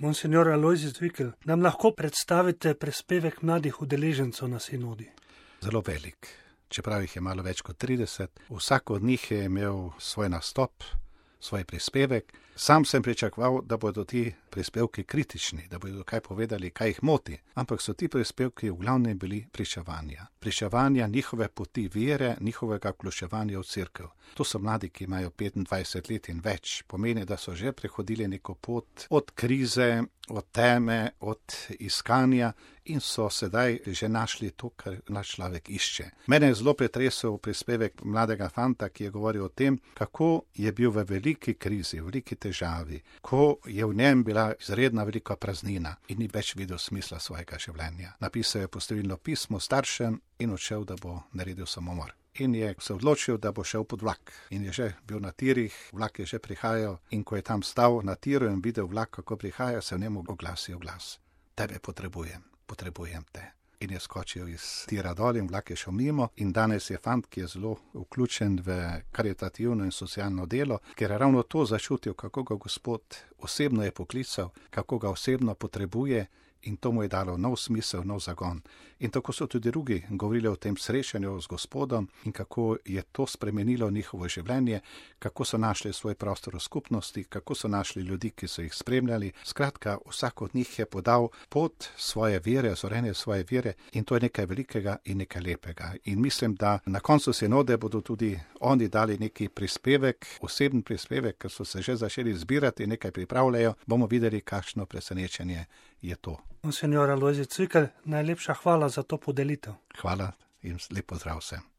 Monsignor Alojzij Cvikl, nam lahko predstavite prispevek mladih udeležencev na sinodi? Zelo velik, čeprav jih je malo več kot 30. Vsak od njih je imel svoj nastop, svoj prispevek. Sam sem pričakoval, da bodo ti prispevki kritični, da bodo kaj povedali, kaj jih moti. Ampak so ti prispevki v glavnem bili pričevanja. Pričevanja njihove poti vere, njihovega vključevanja v cerkev. To so mladi, ki imajo 25 let in več. Pomeni, da so že prehodili neko pot od krize, od teme, od iskanja in so sedaj že našli to, kar naš človek išče. Mene je zelo pretresel prispevek mladega fanta, ki je govoril o tem, kako je bil v veliki krizi, v veliki težavi, ko je v njem bila izredna velika praznina in ni več videl smisla svojega življenja. Napisal je postilno pismo staršem in odšel, da bo naredil samomor. In je se odločil, da bo šel pod vlak. In je že bil na tirih, vlak je že prihajal in ko je tam stal na tiru in videl vlak, kako prihaja, se v njemu oglasil glas. Tebe potrebujem te. In je skočil iz tira dol in vlak je šel mimo in danes je fant, ki je zelo vključen v karitativno in socialno delo, ker je ravno to začutil, kako ga Gospod osebno je poklical, kako ga osebno potrebuje in to mu je dalo nov smisel, nov zagon. In tako so tudi drugi govorili o tem srečanju z Gospodom in kako je to spremenilo njihovo življenje, kako so našli svoj prostor v skupnosti, kako so našli ljudi, ki so jih spremljali. Skratka, vsak od njih je podal pot svoje vere, zorenje svoje vere in to je nekaj velikega in nekaj lepega. In mislim, da na koncu sinode bodo tudi oni dali neki prispevek, osebni prispevek, ker so se že začeli zbirati in nekaj pripravljajo, bomo videli, kakšno presenečenje je to. Monsignor Alojzij Cvikl, najlepša hvala za to podelitev. Hvala in lep pozdrav vsem.